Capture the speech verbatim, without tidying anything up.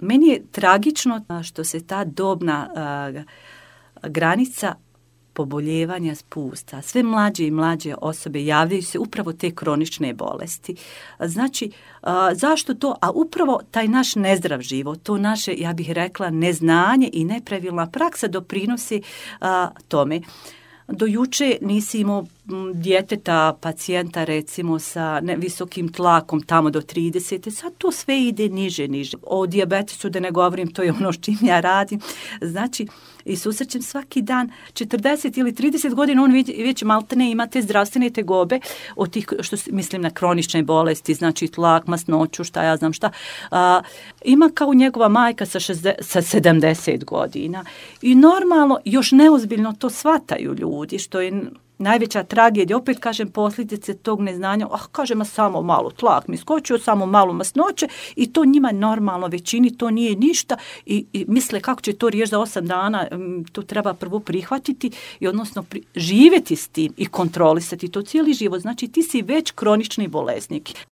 meni je tragično što se ta dobna a, granica poboljevanja spusta. Sve mlađe i mlađe osobe javljaju se upravo te kronične bolesti. Znači, a, zašto to? A upravo taj naš nezdrav život, to naše, ja bih rekla, neznanje i nepravilna praksa doprinosi a, tome. Do juče nisi imao djeteta, pacijenta recimo sa visokim tlakom tamo do trideset. Sad to sve ide niže, niže. O dijabetesu da ne govorim, to je ono s čim ja radim. Znači, i susrećem svaki dan četrdeset ili trideset godina, on već, već maltene ima te zdravstvene tegobe od tih, što mislim na kronične bolesti, znači tlak, masnoću, šta ja znam šta. A, ima kao njegova majka sa, šezdeset, sa sedamdeset godina. I normalno, još neozbiljno to shvataju ljudi, što je najveća tragedija, opet kažem, posljedice tog neznanja, ah, kažem, samo malo tlak mi skočio, samo malo masnoće i to njima normalno većini, to nije ništa i, i misle kako će to riješiti za osam dana, to treba prvo prihvatiti i odnosno pri, živjeti s tim i kontrolisati to cijeli život. Znači ti si već kronični bolesnik.